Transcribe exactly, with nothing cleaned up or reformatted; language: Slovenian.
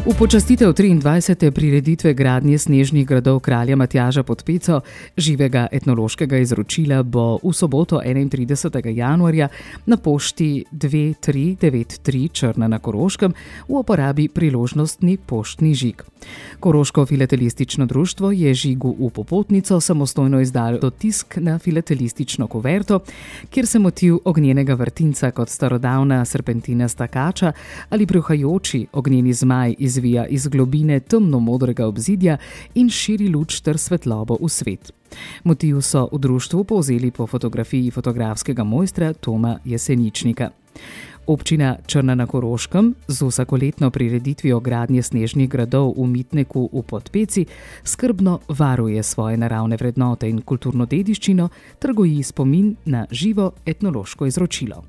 V počastitev triindvajsete prireditve gradnje snežnih gradov kralja Matjaža pod Peco živega etnološkega izročila bo v soboto enaintridesetega januarja na pošti dve tri devet tri Črna na Koroškem v uporabi priložnostni poštni žig. Koroško filatelistično društvo je žigu v popotnico samostojno izdalo tisk na filatelistično kuverto, kjer se motiv ognjenega vrtinca kot starodavna serpentinasta kača ali bruhajoči ognjeni zmaj izvija iz globine temno-modrega obzidja in širi luč ter svetlobo v svet. Motiv so v društvu povzeli po fotografiji fotografskega mojstra Toma Jeseničnika. Občina Črna na Koroškem z vsakoletno prireditvijo gradnje snežnih gradov v Mitneku v Podpeci skrbno varuje svoje naravne vrednote in kulturno dediščino ter goji spomin na živo etnološko izročilo.